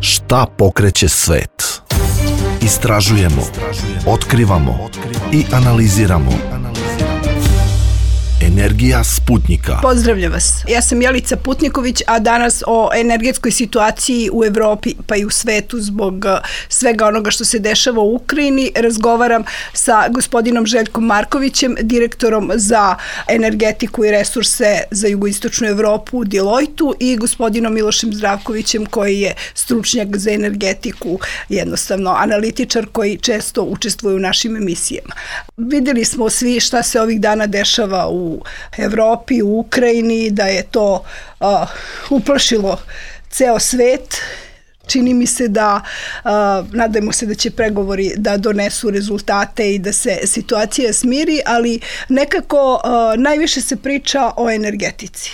Šta pokreće svet? Istražujemo, otkrivamo i analiziramo. Energija Sputnika. Pozdravljam vas. Ja sam Jelica Putniković, a danas o energetskoj situaciji u Evropi pa i u svetu zbog svega onoga što se dešava u Ukrajini razgovaram sa gospodinom Željkom Markovićem, direktorom za energetiku i resurse za jugoistočnu Evropu u Deloitu i gospodinom Milošem Zdravkovićem koji je stručnjak za energetiku, jednostavno analitičar koji često učestvuje u našim emisijama. Videli smo svi šta se ovih dana dešava u Evropi, u Ukrajini, da je to uplašilo ceo svet. Čini mi se da, nadajmo se da će pregovori da donesu rezultate i da se situacija smiri, ali nekako najviše se priča o energetici.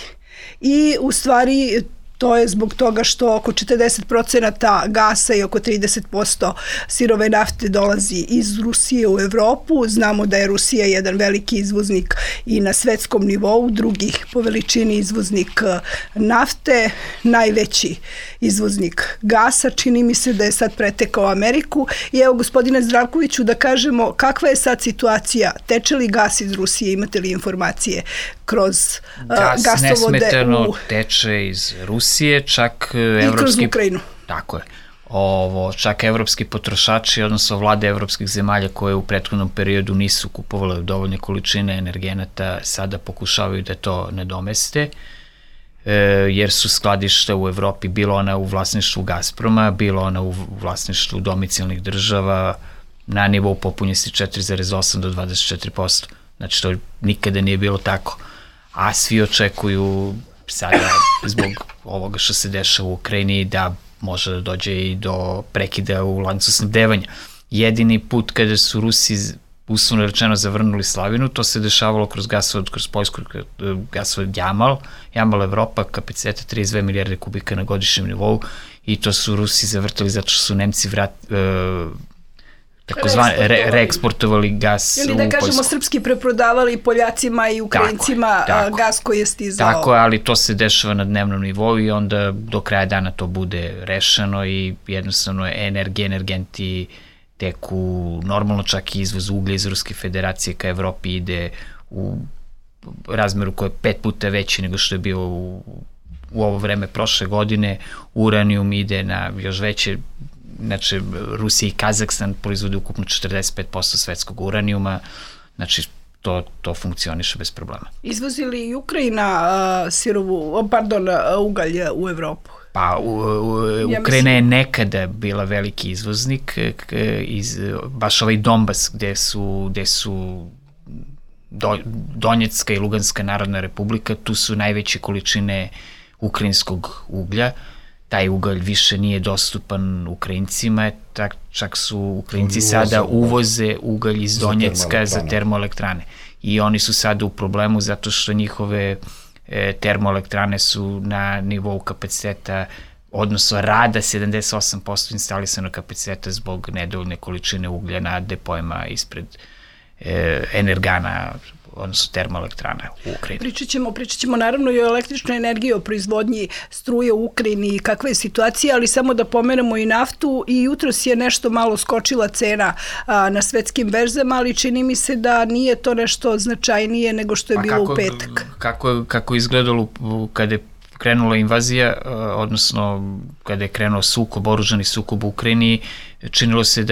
I u stvari to je zbog toga što oko 40% gasa i oko 30% sirove nafte dolazi iz Rusije u Evropu. Znamo da je Rusija jedan veliki izvoznik i na svetskom nivou, drugi po veličini izvoznik nafte, najveći izvoznik gasa. Čini mi se da je sad pretekao Ameriku. I evo, gospodine Zdravkoviću, da kažemo kakva je sad situacija? Teče li gas iz Rusije? Imate li informacije kroz gasovode? Gas nesmetano teče iz Rusije, čak i kroz Ukrajinu. Tako je. Čak evropski potrošači, odnosno vlade evropskih zemalja koje u prethodnom periodu nisu kupovale dovoljne količine energenata, sada pokušavaju da to nadomeste, jer su skladišta u Evropi, bilo ona u vlasništvu Gazproma, bilo ona u vlasništvu domicilnih država, na nivou popunjenosti 4,8 do 24%. Znači, to nikada nije bilo tako. A svi očekuju sada, zbog ovoga što se dešava u Ukrajini, da može da dođe i do prekida u lancu snabdevanja. Jedini put kada su Rusi, uslovno rečeno, zavrnuli slavinu, to se dešavalo kroz gasovod, kroz poljsku gasovod Jamal Evropa, kapaciteta 32 milijarde kubika na godišnjem nivou, i to su Rusi zavrtali zato što su Nemci reeksportovali gas u Poljsku. Ili da kažemo srpski preprodavali Poljacima i Ukrajincima gas koji je stizao. Tako je, ali to se dešava na dnevnom nivou i onda do kraja dana to bude rešeno i jednostavno energenti teku normalno, čak i izvoz uglja iz Ruske federacije ka Evropi ide u razmeru koji je 5 puta veći nego što je bio u ovo vreme prošle godine. Uranijum ide na još veće. Znači, Rusija i Kazahstan proizvode ukupno 45% svetskog uranijuma, znači to funkcioniše bez problema. Izvozi li Ukrajina ugalj u Evropu? Pa, Ukrajina je nekada bila veliki izvoznik, baš ovaj Donbas gde su Donjecka i Luganska narodna republika, tu su najveće količine ukrajinskog uglja. Taj ugalj više nije dostupan Ukrajincima, čak su Ukrajinci sada uvoze ugalj iz Donjecka za termoelektrane. I oni su sada u problemu zato što njihove termoelektrane su na nivou kapaciteta, odnosno rada 78% instalisanog kapaciteta zbog nedovoljne količine uglja na depojima ispred energana, odnosno termoelektrana u Ukrajini. Pričat ćemo naravno i o električnoj energiji, o proizvodnji struje u Ukrajini i kakva je situacija, ali samo da pomenemo i naftu. I jutros je nešto malo skočila cena na svetskim berzama, ali čini mi se da nije to nešto značajnije nego što je bilo u petak. Kako je izgledalo kada je krenula invazija, odnosno kada je krenuo oružani sukob u Ukrajini, činilo se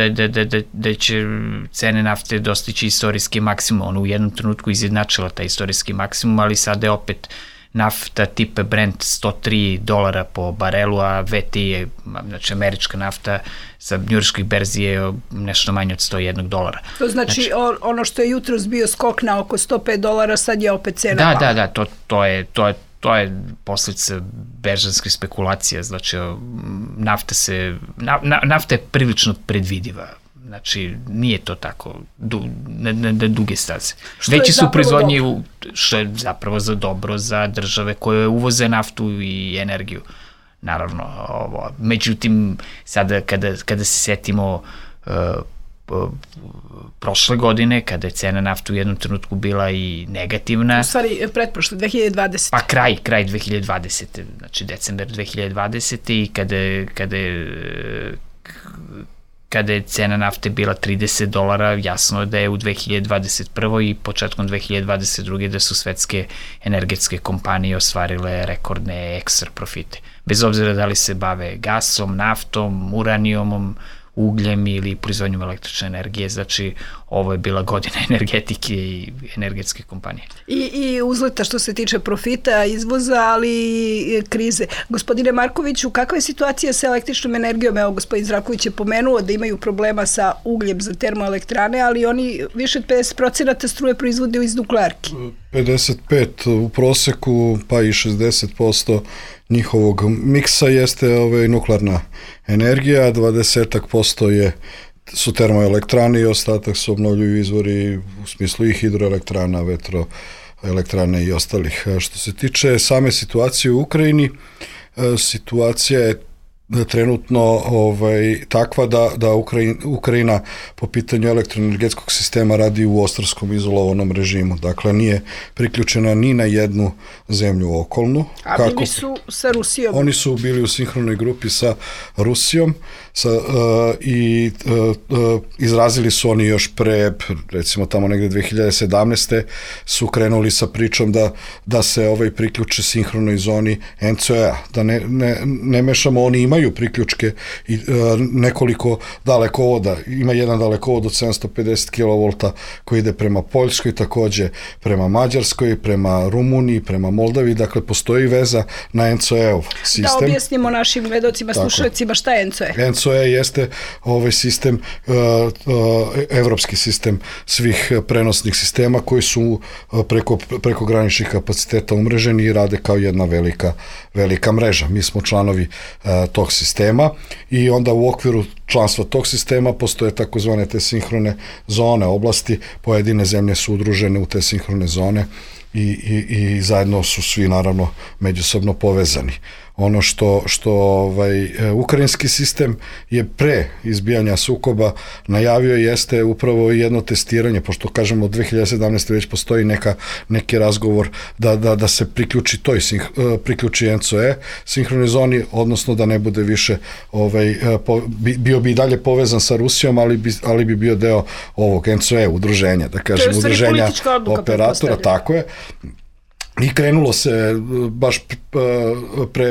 da će cene nafte dostići istorijski maksimum. Ona u jednom trenutku izjednačila taj istorijski maksimum, ali sada je opet nafta tipa Brent $103 po barelu, a VTI je, znači američka nafta sa njujorških berzi je nešto manje od $101. To znači ono što je jutros bio skok na oko $105, sad je opet cena pala. Da, to je posljedica berzanske spekulacije, znači nafta je prilično predvidiva, znači nije to tako na duge staze. Veći su proizvodnji, što je zapravo dobro za države koje uvoze naftu i energiju, naravno. Međutim, sada kada se setimo prošle godine, kada je cena nafte u jednom trenutku bila i negativna. U stvari, pretprošle, 2020. Pa kraj 2020. Znači decembar 2020. i kada je cena nafte bila $30, jasno je da je u 2021. i početkom 2022. da su svetske energetske kompanije ostvarile rekordne ekstra profite. Bez obzira da li se bave gasom, naftom, uranijumom, ugljem ili proizvodnjom električne energije, znači ovo je bila godina energetike i energetske kompanije. I uzleta što se tiče profita, izvoza, ali i krize. Gospodine Markoviću, kakva je situacija sa električnom energijom? Evo, gospodin Zdravković je pomenuo da imaju problema sa ugljem za termoelektrane, ali oni više od 50% struje proizvode iz nuklearki. 55 u proseku, pa i 60% njihovog miksa jeste nuklearna energija, 20% su termoelektrane i ostatak su obnovljivi izvori u smislu i hidroelektrana, vetroelektrane i ostalih. Što se tiče same situacije u Ukrajini, situacija je trenutno takva da Ukrajina po pitanju elektroenergetskog sistema radi u ostarskom izolovanom režimu. Dakle, nije priključena ni na jednu zemlju okolnu. A bili su sa Rusijom? Oni su bili u sinhronoj grupi sa Rusijom i izrazili su oni još pre, recimo tamo negde 2017. su krenuli sa pričom da se priključe sinhronoj zoni NCOE-a. Da ne mešamo, oni imaju priključke i nekoliko dalekovoda. Ima jedan dalekovod od 750 kV koji ide prema Poljskoj, takođe prema Mađarskoj, prema Rumuniji, prema Moldavi. Dakle, postoji veza na NCOE-ov sistem. Da objasnimo našim gledocima, slušalcima šta je NCOE. NCOE jeste sistem, evropski sistem svih prenosnih sistema koji su preko graničnih kapaciteta umreženi i rade kao jedna velika mreža. Mi smo članovi tog sistema i onda u okviru članstva tog sistema postoje takozvane te sinhrone zone oblasti, pojedine zemlje su udružene u te sinhrone zone i zajedno su svi naravno međusobno povezani. Ono što ukrajinski sistem je pre izbijanja sukoba najavio jeste upravo jedno testiranje, pošto kažemo od 2017. već postoji neki razgovor da se priključi NCOE sinhronoj zoni, odnosno da ne bude više bio bi i dalje povezan sa Rusijom, ali bi bio deo ovog NCOE udruženja, da kažem, udruženja operatora, tako je. I krenulo se, baš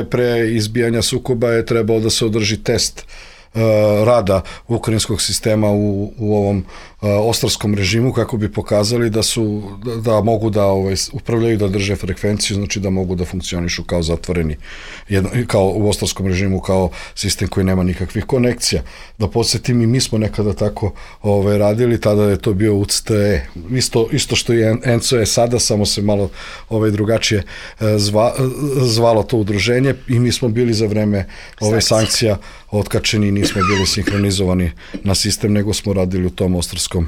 pre izbijanja sukoba je trebao da se održi test rada ukrajinskog sistema u ovom ostarskom režimu kako bi pokazali da mogu da upravljaju, da drže frekvenciju, znači da mogu da funkcionišu kao zatvoreni, kao u ostarskom režimu, kao sistem koji nema nikakvih konekcija. Da podsjetim, i mi smo nekada tako radili, tada je to bio UCTE, isto što je NCOE sada, samo se malo drugačije zvalo to udruženje i mi smo bili za vreme ove sankcija otkačeni, nismo bili sinhronizovani na sistem, nego smo radili u tom ostarskom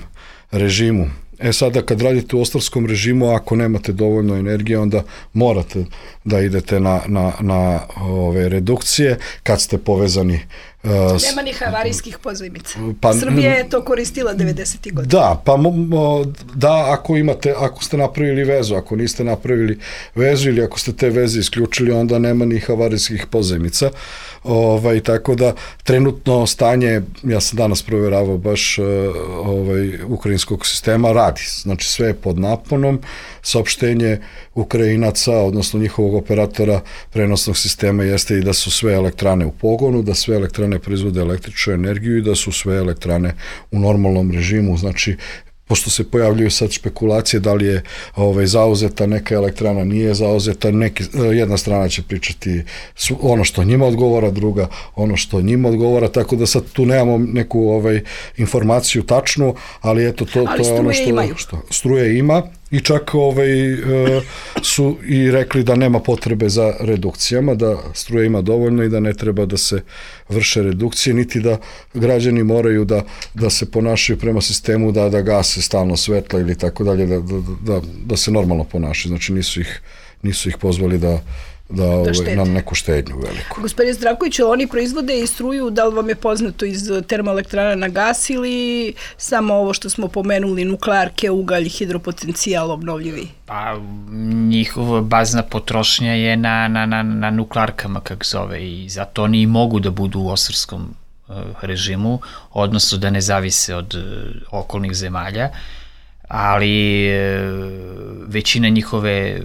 režimu. Sada kad radite u ostarskom režimu, ako nemate dovoljno energije, onda morate da idete na ove redukcije kad ste povezani. Nema ni havarijskih pozajmica. Srbija je to koristila 90. godina. Da, ako ste napravili vezu, ako niste napravili vezu ili ako ste te veze isključili, onda nema ni havarijskih pozajmica. Tako da trenutno stanje, ja sam danas provjeravao baš ukrajinskog sistema, radi. Znači sve je pod naponom, saopštenje Ukrajinaca, odnosno njihovog operatora prenosnog sistema jeste i da su sve elektrane u pogonu, da sve elektrane proizvode električnu energiju i da su sve elektrane u normalnom režimu. Znači, pošto se pojavljuju sad špekulacije da li je zauzeta neka elektrana, nije zauzeta, jedna strana će pričati ono što njima odgovara, druga ono što njima odgovara, tako da sad tu nemamo neku informaciju tačnu, ali eto to je ono što struje ima. I čak su i rekli da nema potrebe za redukcijama, da struje ima dovoljno i da ne treba da se vrše redukcije, niti da građani moraju da se ponašaju prema sistemu, da gase stalno svetla ili tako dalje, da se normalno ponašaju. Znači nisu ih pozvali na neku štednju veliku. Gospodin Zdravković, oni proizvode i struju, da li vam je poznato iz termoelektrana na gas ili samo ovo što smo pomenuli, nuklearke, ugalj, hidropotencijal, obnovljivi? Pa njihova bazna potrošnja je na nuklearkama, kako zove, i zato oni i mogu da budu u osarskom režimu, odnosno da ne zavise od okolnih zemalja, ali većina njihove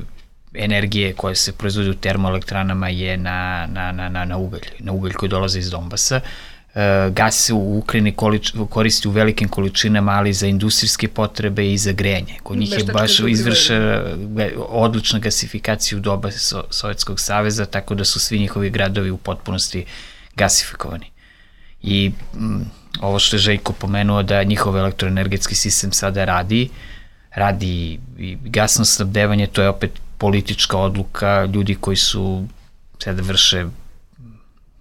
energije koja se proizvodi u termoelektranama je na ugalj koji dolaze iz Donbasa. Gas se u Ukrajini koristi u velikim količinama, ali za industrijske potrebe i za grejanje. Kod njih je baš izvrše odlična gasifikacija u doba Sovjetskog saveza, tako da su svi njihovi gradovi u potpunosti gasifikovani. I ovo što je Željko pomenuo, da njihov elektroenergetski sistem sada radi i gasno snabdevanje, to je opet politička odluka ljudi koji su sada vrše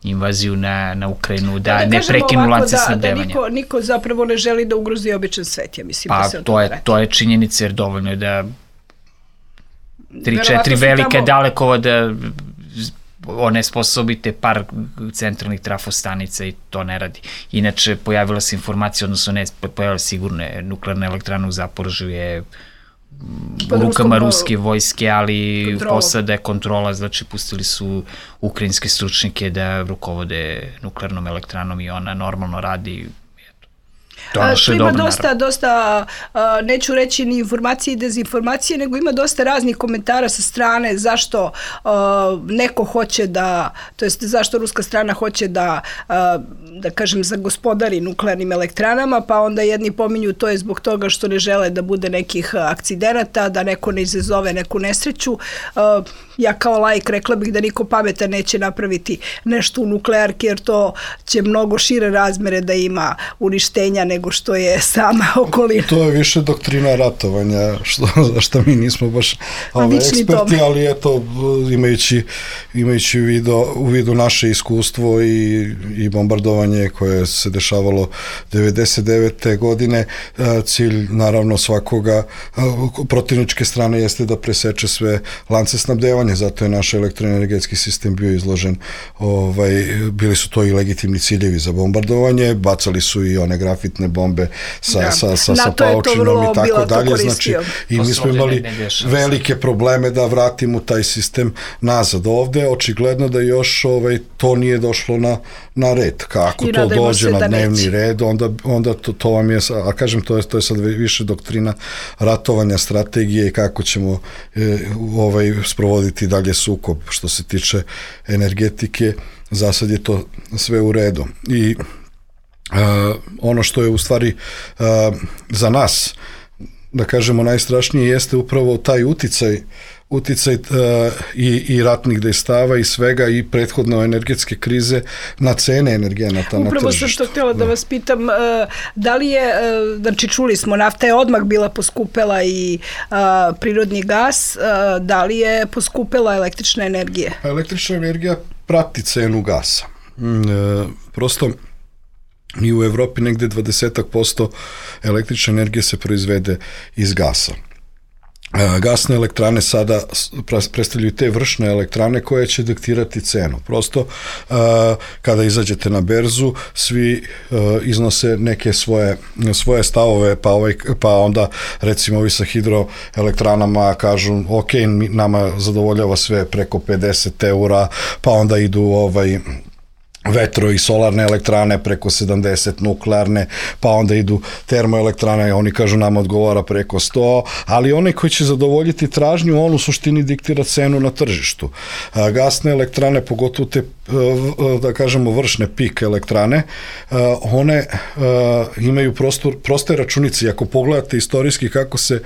invaziju na Ukrajinu, da ne prekinu lance snabdevanja. Da niko zapravo ne želi da ugrozi običan svet, ja mislim. Pa to je činjenica, jer dovoljno je da 3-4 velike dalekovoda onesposobite par centralnih trafostanica i to ne radi. Inače, pojavila se informacija, odnosno ne pojavila sigurno nuklearna elektrana u Zaporožju je u rukama ruske vojske, ali posada je kontrola, znači pustili su ukrajinske stručnike da rukovode nuklearnom elektranom i ona normalno radi. Tu ima dosta, neću reći ni informacije i dezinformacije, nego ima dosta raznih komentara sa strane zašto neko hoće da, to jest zašto ruska strana hoće da kažem, zagospodari nuklearnim elektranama, pa onda jedni pominju to je zbog toga što ne žele da bude nekih akcidenata, da neko ne izazove neku nesreću. Ja kao laik rekla bih da niko pametan neće napraviti nešto u nuklearki, jer to će mnogo šire razmere da ima uništenja nego što je sama okolina. To je više doktrina ratovanja, što mi nismo baš eksperti, ali eto, imajući u vidu naše iskustvo i bombardovanje koje se dešavalo 99. godine, cilj naravno svakoga protivničke strane jeste da preseče sve lance snabdevanja, zato je naš elektroenergetski sistem bio izložen, bili su to i legitimni ciljevi za bombardovanje, bacali su i one grafitne bombe sa paučinom i tako dalje, znači i mi smo imali velike probleme da vratimo taj sistem nazad. Ovde očigledno da još to nije došlo na red. Kako to dođe na dnevni red, onda to vam je, a kažem, to je sad više doktrina ratovanja, strategije i kako ćemo sprovoditi dalje sukob. Što se tiče energetike, za sad je to sve u redu. I ono što je u stvari za nas, da kažemo, najstrašnije jeste upravo taj uticaj i ratnih dejstava i svega i prethodno energetske krize na cene energenata na tržištu. Upravo sam što htjela da vas pitam, da li je, znači čuli smo, nafta je odmah bila poskupela i prirodni gas, da li je poskupela električna energija? Električna energija prati cenu gasa. Prosto i u Evropi negde 20% električne energije se proizvede iz gasa. Gasne elektrane sada predstavljaju te vršne elektrane koje će diktirati cenu. Prosto, kada izađete na berzu, svi iznose neke svoje stavove, pa onda recimo ovi sa hidroelektranama kažu ok, nama zadovoljava sve preko 50 eura, pa onda idu vetro i solarne elektrane preko 70, nuklearne, pa onda idu termoelektrane, oni kažu nama odgovara preko 100, ali onaj koji će zadovoljiti tražnju, on u suštini diktira cenu na tržištu. Gasne elektrane, pogotovo te, da kažemo, vršne pik elektrane, one imaju proste računice. I ako pogledate istorijski kako se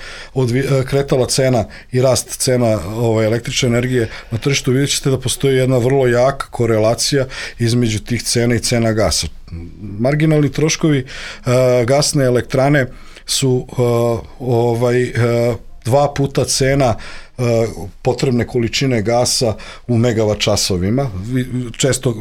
kretala cena i rast cena električne energije na tržištu, vidjet ćete da postoji jedna vrlo jaka korelacija između tih cena i cena gasa. Marginalni troškovi gasne elektrane su 2 puta cena potrebne količine gasa u megavat časovima. Često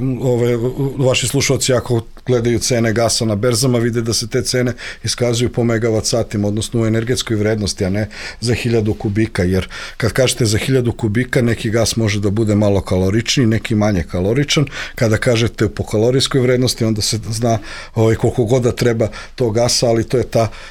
vaši slušalci ako gledaju cene gasa na berzama vide da se te cene iskazuju po megavat satima, odnosno u energetskoj vrednosti, a ne za 1000 kubika, jer kad kažete za 1000 kubika neki gas može da bude malo kaloričniji, neki manje kaloričan. Kada kažete po kalorijskoj vrednosti onda se zna koliko god da treba to gasa, ali to je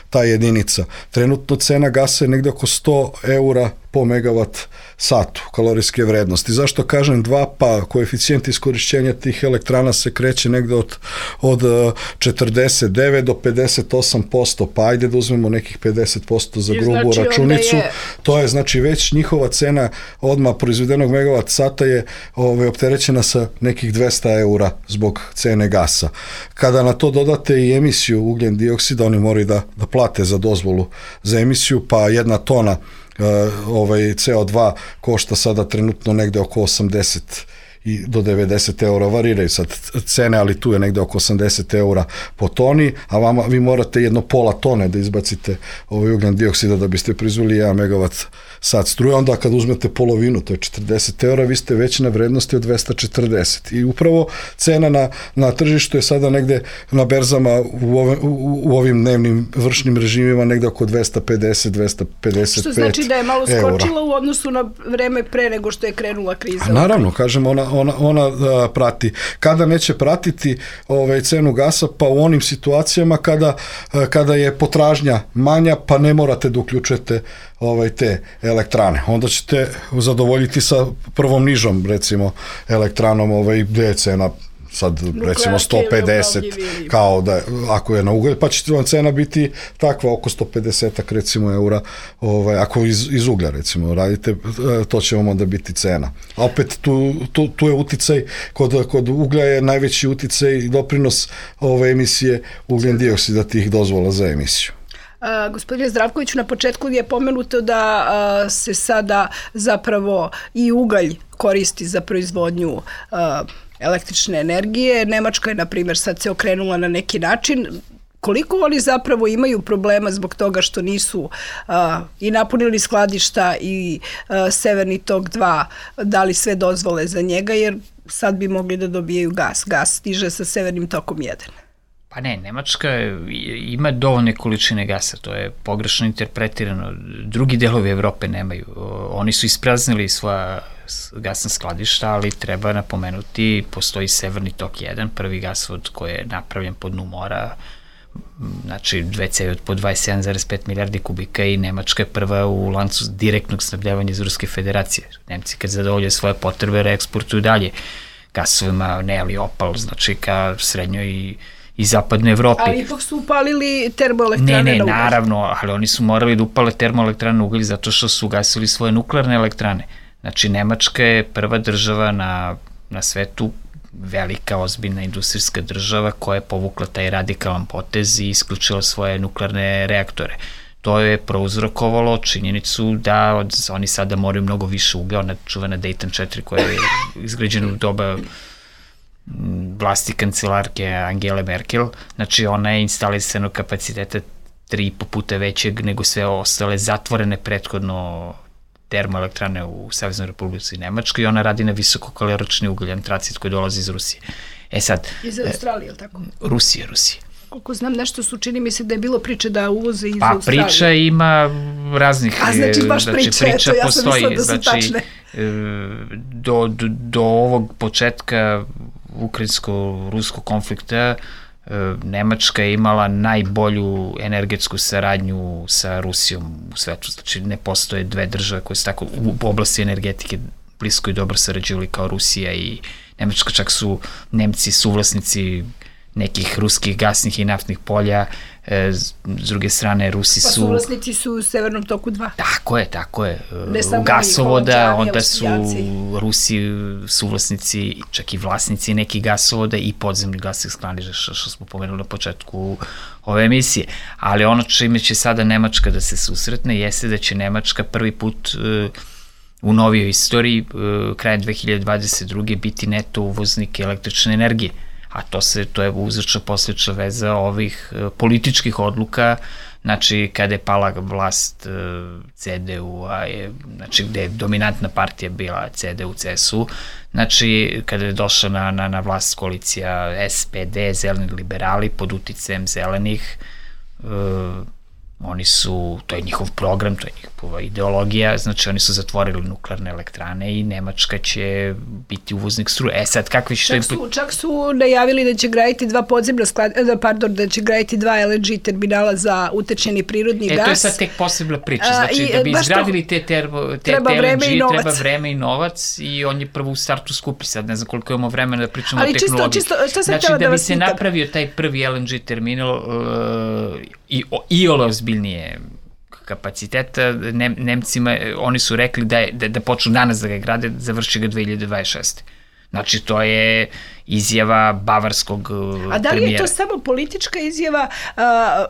ta jedinica. Trenutno cena gasa je negde oko 100 eura po megavat satu kalorijske vrednosti. Zašto kažem 2? Pa koeficijent iskorišćenja tih elektrana se kreće negde od 49 do 58%, pa ajde da uzmemo nekih 50% za grubu računicu. To je znači već njihova cena odmah proizvedenog megavat sata je opterećena sa nekih 200 eura zbog cene gasa. Kada na to dodate i emisiju ugljen dioksida, oni moraju da plate za dozvolu za emisiju, pa 1 tona CO2 košta sada trenutno negde oko 80 do 90 eura, variraju sad cene, ali tu je negde oko 80 eura po toni, a vi morate 1,5 tone da izbacite ugljen dioksida da biste proizveli 1 megavat sat struje. Onda kad uzmete polovinu, to je 40 eura, vi ste već na vrednosti od 240. I upravo cena na tržištu je sada negde na berzama u ovim dnevnim vršnim režimima negde oko 250-255 što znači da je malo skočila u odnosu na vreme pre nego što je krenula kriza. A naravno, kažem, ona prati. Kada neće pratiti cenu gasa? Pa u onim situacijama kada je potražnja manja, pa ne morate da uključujete te elektrane. Onda ćete zadovoljiti sa prvom nižom, recimo, elektranom, gde je cena sad recimo 150 kao da ako je na ugalj, pa će vam cena biti takva oko 150 recimo eura, ako iz uglja recimo radite, to će vam onda biti cena. A opet tu je uticaj, kod uglja je najveći uticaj i doprinos emisije ugljen dioksida tih dozvola za emisiju. Gospodine Zdravkoviću, na početku je pomenuto da se sada zapravo i ugalj koristi za proizvodnju električne energije. Nemačka je, na primjer, sad se okrenula na neki način. Koliko oni zapravo imaju problema zbog toga što nisu i napunili skladišta i Severni tok 2 dali sve dozvole za njega, jer sad bi mogli da dobijaju gas. Gas stiže sa Severnim tokom 1. Pa ne, Nemačka ima dovoljne količine gasa, to je pogrešno interpretirano. Drugi delovi Evrope nemaju. Oni su ispraznili svoja gasna skladišta, ali treba napomenuti, postoji Severni tok 1, prvi gasovod koji je napravljen po dnu mora, znači 2 cevi od po 27,5 milijardi kubika i Nemačka je prva u lancu direktnog snabdevanja iz Ruske federacije. Nemci kad zadovolje svoje potrebe reeksportuju dalje gasovima, ne ali opal, znači ka srednjoj i zapadnoj Evropi. Ali ipak su upalili termoelektrane na ugalj. Ne, naravno, ali oni su morali da upale termoelektrane na ugalj zato što su ugasili svoje nuklearne elektrane. Znači, Nemačka je prva država na svetu, velika, ozbiljna industrijska država koja je povukla taj radikalan potez i isključila svoje nuklearne reaktore. To je prouzrokovalo činjenicu da oni sada moraju mnogo više uglja, ona čuvena Dayton 4 koja je izgrađena u doba vlasti kancelarke Angele Merkel, znači ona je instalisanog kapaciteta 3,5 puta većeg nego sve ostale zatvorene prethodno termoelektrane u Saveznoj Republici Nemačkoj i ona radi na visokokalorični ugalj, antracit koji dolazi iz Rusije. Iz Australije, ili tako? Rusije. Koliko znam, nešto su, čini mi se da je bilo priče da uvoze iz Australije. Pa priča ima raznih... A znači baš priča ja sam mislila da su tačne. Do ovog početka ukrajinsko-ruskog konflikta Nemačka je imala najbolju energetsku saradnju sa Rusijom u svetu. Znači ne postoje dve države koje su tako u oblasti energetike blisko i dobro sarađivali kao Rusija i Nemačka, čak su Nemci suvlasnici nekih ruskih gasnih i naftnih polja, s druge strane Rusi su... Pa suvlasnici su u Severnom toku 2. Tako je. Gasovoda, onda su Rusi suvlasnici, čak i vlasnici nekih gasovoda i podzemnih gasnih skladišta, što smo pomenuli na početku ove emisije. Ali ono čime će sada Nemačka da se susretne jeste da će Nemačka prvi put u novijoj istoriji, krajem 2022. biti neto uvoznik električne energije. A to je uzročno posledična veza ovih političkih odluka znači kada je pala vlast CDU-a, znači gde je dominantna partija bila CDU-CSU, znači kada je došla na vlast koalicija SPD, zeleni liberali, pod uticajem zelenih, oni su, to je njihov program, to je njihova ideologija, znači oni su zatvorili nuklearne elektrane i Nemačka će biti uvoznik struje. Sad, kakvi što je... Čak su najavili da će graditi da će graditi 2 LNG terminala za utečeni prirodni gas. To je sad tek posebna priča, znači da bi izgradili te LNG, treba vreme i novac i on je prvo u startu skupi, sad ne znam koliko imamo vremena da pričamo o tehnologiji. Znači, da bi se napravio taj prvi LNG terminal i ozbiljnije kapaciteta, Nemcima, oni su rekli da počnu danas da ga grade, završi ga 2026. Znači, to je izjava bavarskog premijera. A da li je to samo politička izjava?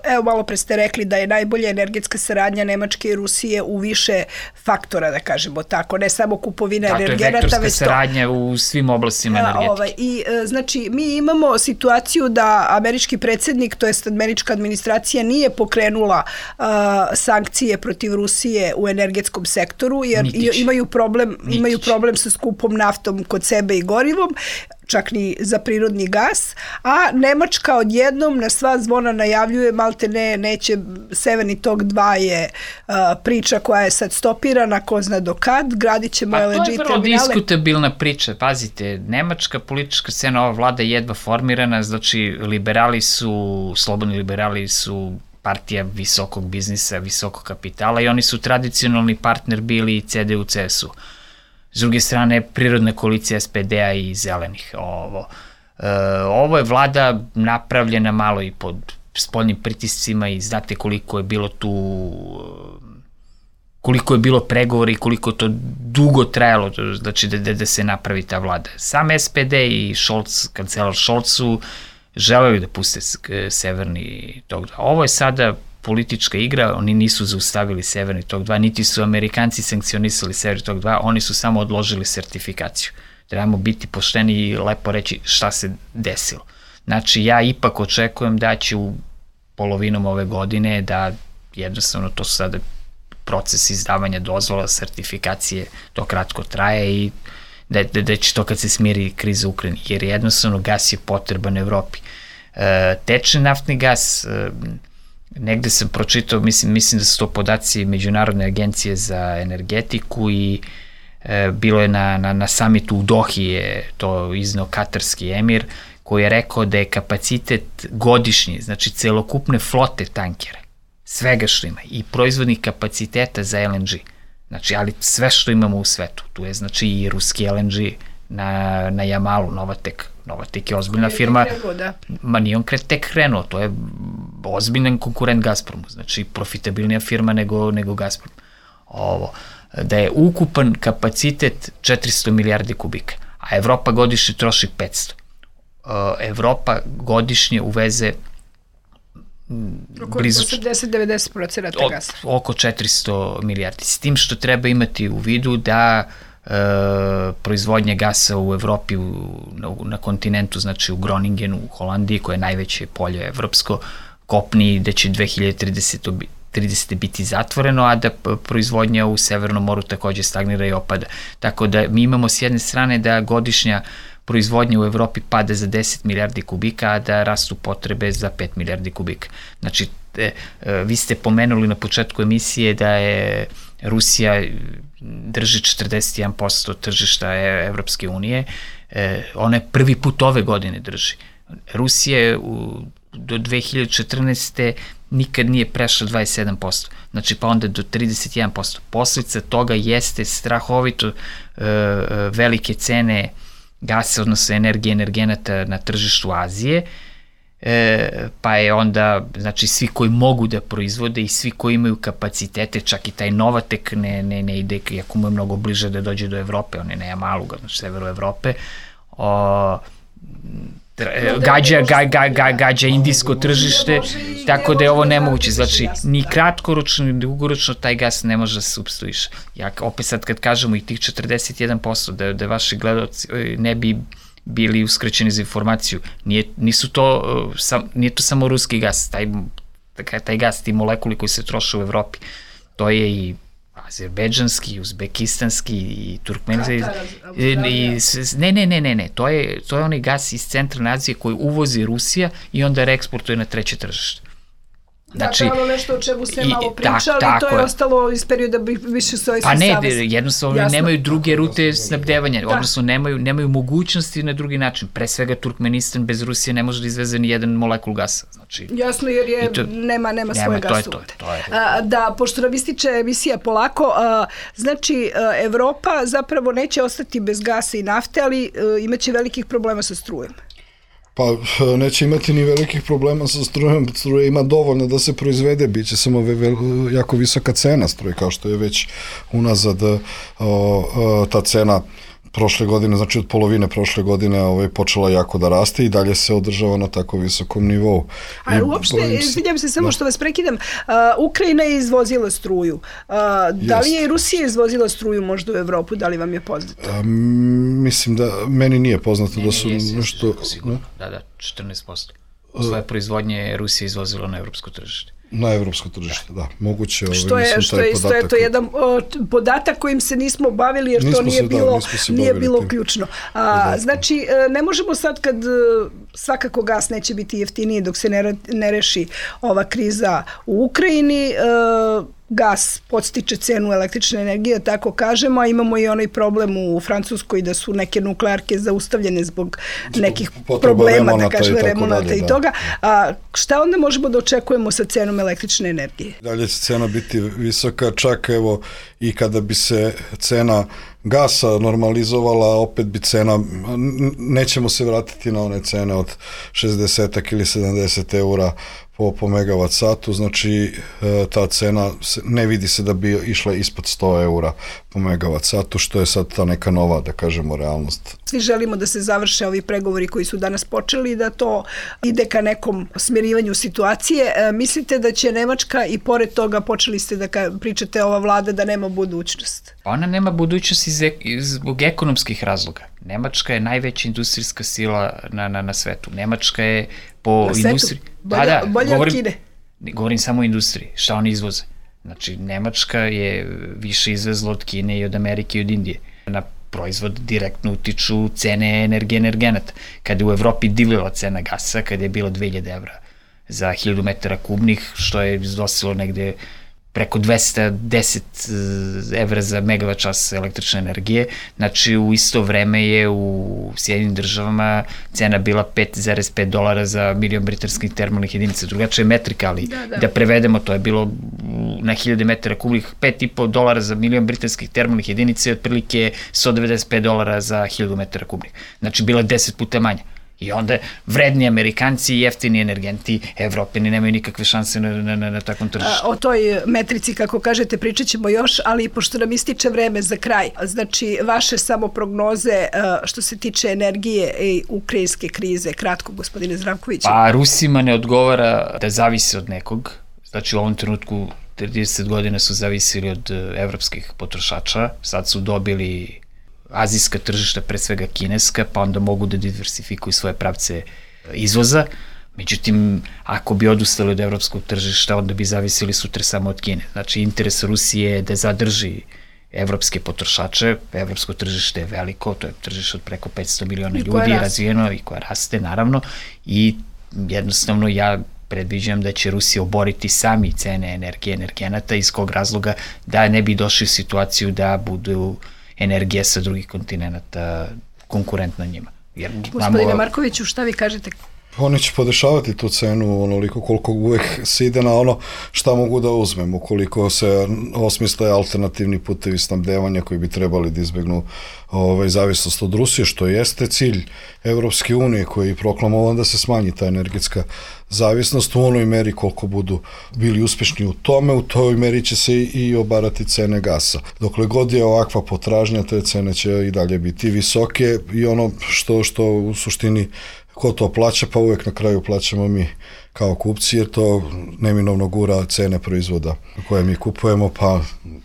Evo, malo pre ste rekli da je najbolja energetska saradnja Nemačke i Rusije u više faktora, da kažemo tako, ne samo kupovina energenata, već to. To je vektorska saradnja u svim oblastima energetike. I, znači, mi imamo situaciju da američki predsjednik, to jest američka administracija, nije pokrenula sankcije protiv Rusije u energetskom sektoru, jer imaju problem sa skupom naftom kod sebe i gorivom, čak ni za prirodni gas, a Nemačka odjednom na sva zvona najavljuje, malte neće, Severni tok 2 je priča koja je sad stopirana, ko zna do kad, gradit ćemo LNG terminale. Pa to je vrlo diskutabilna priča, pazite, nemačka politička scena, ova vlada je jedva formirana, znači slobodni liberali su partija visokog biznisa, visokog kapitala i oni su tradicionalni partner bili i CDU-CSU. S druge strane, prirodna koalicija SPD-a i zelenih. Ovo je vlada napravljena malo i pod spoljnim pritiscima i znate koliko je bilo pregovora i koliko to dugo trajalo, znači da se napravi ta vlada. Sam SPD i kancelar Scholz su želeli da puste Severni tok 2. Ovo je sada politička igra, oni nisu zaustavili Severni tok 2, niti su Amerikanci sankcionisali Severni tok 2, oni su samo odložili sertifikaciju. Trebamo biti pošteni i lepo reći šta se desilo. Znači, ja ipak očekujem da će u polovinom ove godine, da jednostavno to su sada proces izdavanja dozvola, sertifikacije, to kratko traje i da će to kad se smiri kriza u Ukrajini, jer jednostavno gas je potreban Evropi. Tečni naftni gas, negde sam pročitao, mislim da su to podaci Međunarodne agencije za energetiku i bilo je na samitu u Dohi je to izneo katarski emir koji je rekao da je kapacitet godišnji, znači celokupne flote tankera, svega što ima i proizvodnih kapaciteta za LNG, znači ali sve što imamo u svetu, tu je znači i ruski LNG na Jamalu, Novatek je ozbiljna firma, ma nije on tek krenuo, to je ozbiljan konkurent Gazpromu, znači profitabilnija firma nego Gazprom. Da je ukupan kapacitet 400 milijardi kubika, a Evropa godišnje troši 500. Evropa godišnje uveze blizu 80-90% gasa. Oko 400 milijardi. S tim što treba imati u vidu da proizvodnja gasa u Evropi na kontinentu, znači u Groningenu, u Holandiji, koje je najveće polje evropsko, kopni da će 2030 biti zatvoreno, a da proizvodnja u Severnom moru takođe stagnira i opada. Tako da mi imamo s jedne strane da godišnja proizvodnja u Evropi pada za 10 milijardi kubika, a da rastu potrebe za 5 milijardi kubika. Znači, vi ste pomenuli na početku emisije da je Rusija drži 41% tržišta Evropske unije, ona je prvi put ove godine drži. Rusija do 2014. nikad nije prešla 27%, znači pa onda do 31%. Posljedica toga jeste strahovito velike cene gasa, odnosno energije, energenata na tržištu Azije, pa je onda, znači svi koji mogu da proizvode i svi koji imaju kapacitete, čak i taj Novatek ne ide, iako mu je mnogo bliže da dođe do Evrope, on je na Jamalu, znači severu Evrope, gađa indijsko tržište, tako da je ovo nemoguće. Znači, ni kratkoročno, ni dugoročno taj gas ne može da se supstituiše. Opet sad kad kažemo i tih 41%, da vaši gledalci ne bi bili uskraćeni za informaciju, nije to samo ruski gas, taj gas, ti molekuli koji se troše u Evropi, to je i azerbejdžanski, i uzbekistanski, i turkmenski. Ne, to je onaj gas iz centralne Azije koji uvozi Rusija i onda reeksportuje na treće tržište. Znači, da, to je ono nešto o čemu ste malo pričali, to je ostalo iz perioda više Sovjetskog saveza. Pa ne, jednostavno nemaju druge rute snabdevanja, odnosno nemaju mogućnosti na drugi način. Pre svega Turkmenistan bez Rusije ne može da izveze ni jedan molekul gasa. Znači, jasno, jer nema svoje gasovote. Da, pošto nam ističe emisija polako, znači Evropa zapravo neće ostati bez gasa i nafte, ali imaće velikih problema sa strujem. Pa neće imati ni velikih problema sa strujom, struje ima dovoljno da se proizvede, bit će samo jako visoka cena struje, kao što je već unazad ta cena prošle godine, znači od polovine prošle godine počela jako da raste i dalje se održava na tako visokom nivou. A uopšte, izvinjam se samo što vas prekidam, Ukrajina je izvozila struju. Da li je i Rusija izvozila struju možda u Evropu, da li vam je poznato? Mislim da meni nije poznato da su nešto... Da, 14%. Svoje proizvodnje Rusija izvozila na evropsko tržište. Na evropsko tržište, da. Moguće što je to jedan podatak kojim se nismo bavili, jer to nije bilo ključno. Znači, ne možemo sad kad svakako gas neće biti jeftiniji dok se ne reši ova kriza u Ukrajini, gas podstiče cenu električne energije, tako kažemo, a imamo i onaj problem u Francuskoj da su neke nuklearke zaustavljene zbog nekih problema, da kažem, remonata i toga. Šta onda možemo da očekujemo sa cenom električne energije? Dalje će cena biti visoka, čak evo i kada bi se cena gasa normalizovala, opet bi cena, nećemo se vratiti na one cene od 60 ili 70 eura po megavat satu, znači ta cena ne vidi se da bi išla ispod 100 eura po megavat satu, što je sad ta neka nova, da kažemo, realnost. Svi želimo da se završe ovi pregovori koji su danas počeli i da to ide ka nekom smirivanju situacije. Mislite da će Nemačka i pored toga, počeli ste da pričate ova vlada, da nema budućnost? Ona nema budućnost zbog ekonomskih razloga. Nemačka je najveća industrijska sila na svetu. Nemačka je po industriji... Bolje od Kine? Govorim samo o industriji, šta oni izvoze. Znači, Nemačka je više izvezla od Kine i od Amerike i od Indije. Na proizvod direktno utiču cene energije energenata. Kada je u Evropi divljala cena gasa, kada je bilo 2000 evra za 1000 metara kubnih, što je iznosilo negde preko 210 evra za megavat čas električne energije. Znači, u isto vreme je u Sjedinim državama cena bila $5,5 za milion britanskih termalnih jedinica. Drugačija je metrika, ali da prevedemo, to je bilo na 1000 metara kubnih $5,5 za milion britanskih termalnih jedinica i otprilike $195 za 1000 metara kubnih. Znači, bila 10 puta manja. I onda vredni Amerikanci i jeftini energenti, Evropeni nemaju nikakve šanse na takvom tržištu. O toj metrici, kako kažete, pričat ćemo još, ali pošto nam ističe vreme za kraj, znači vaše samo prognoze što se tiče energije i ukrajinske krize, kratko, gospodine Zdravković. Pa Rusima ne odgovara da zavise od nekog, znači u ovom trenutku 30 godina su zavisili od evropskih potrošača, sad su dobili azijska tržišta, pre svega kineska, pa onda mogu da diversifikuju svoje pravce izvoza. Međutim, ako bi odustali od evropskog tržišta, onda bi zavisili sutra samo od Kine. Znači, interes Rusije je da zadrži evropske potrošače, evropsko tržište je veliko, to je tržište od preko 500 miliona ljudi, razvijeno i koja raste, naravno, i jednostavno ja predviđam da će Rusija oboriti sami cene energije, energenata, iz kog razloga da ne bi došli u situaciju da budu energija sa drugih kontinenta konkurentna njima. Gospodine Markoviću, šta vi kažete? Oni će podešavati tu cenu onoliko koliko uvek se ide na ono šta mogu da uzmem, ukoliko se osmisle alternativni putevi snabdevanja koji bi trebali da izbegnu zavisnost od Rusije, što jeste cilj Evropske unije koji je proklamovan da se smanji ta energetska zavisnost u onoj meri koliko budu bili uspešni u tome, u toj meri će se i obarati cene gasa. Dokle god je ovakva potražnja, te cene će i dalje biti visoke i ono što u suštini ko to plaća, pa uvek na kraju plaćamo mi kao kupci, jer to neminovno gura cene proizvoda koje mi kupujemo, pa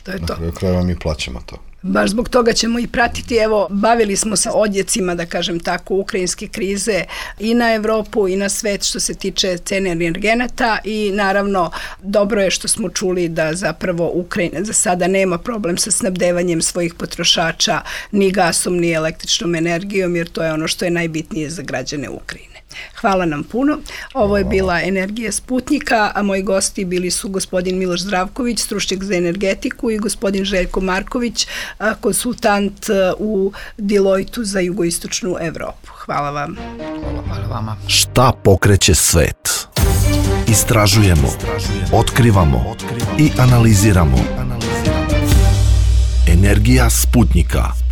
na kraju mi plaćamo to. Baš zbog toga ćemo i pratiti. Evo, bavili smo se odjecima, da kažem tako, ukrajinske krize i na Evropu i na svet što se tiče cene energenata i naravno dobro je što smo čuli da zapravo Ukrajina za sada nema problem sa snabdevanjem svojih potrošača ni gasom ni električnom energijom, jer to je ono što je najbitnije za građane Ukrajine. Hvala nam puno. Ovo je bila Energija Sputnika, a moji gosti bili su gospodin Miloš Zdravković, stručnjak za energetiku, i gospodin Željko Marković, konsultant u Deloitu za jugoistočnu Evropu. Hvala vam. Hvala vama. Šta pokreće svet? Istražujemo, otkrivamo i analiziramo. Energija Sputnika.